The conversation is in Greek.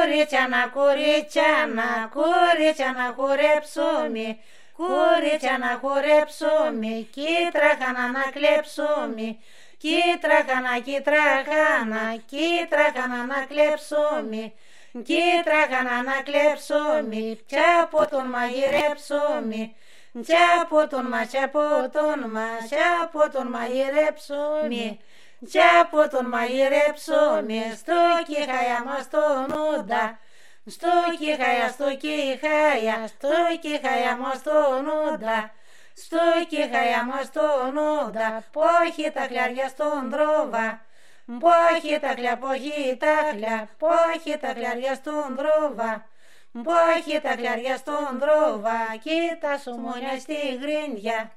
Κορίτσια να χορέψουμε, κορίτσια να χορέψουμε, κίτραχανα να κλέψουμε, κίτραχανα να κλέψουμε, κίτραχανα να κλέψουμε, τσάποτον μαγειρέψουμε, τσάποτον μαγειρέψουμε, τσάποτον μαγειρέψουμε, στο κιχая μας τον ούντα, στο κιχая μας τον ούντα, στο κιχая μας τον ούντα, πόχι τα χλιάρια στον δρόβα, πόχι τα χλιάρια στον δρόβα, πόχι τα χλιάρια στον δρόβα, κοίτα σου μόνια στη γρίνια.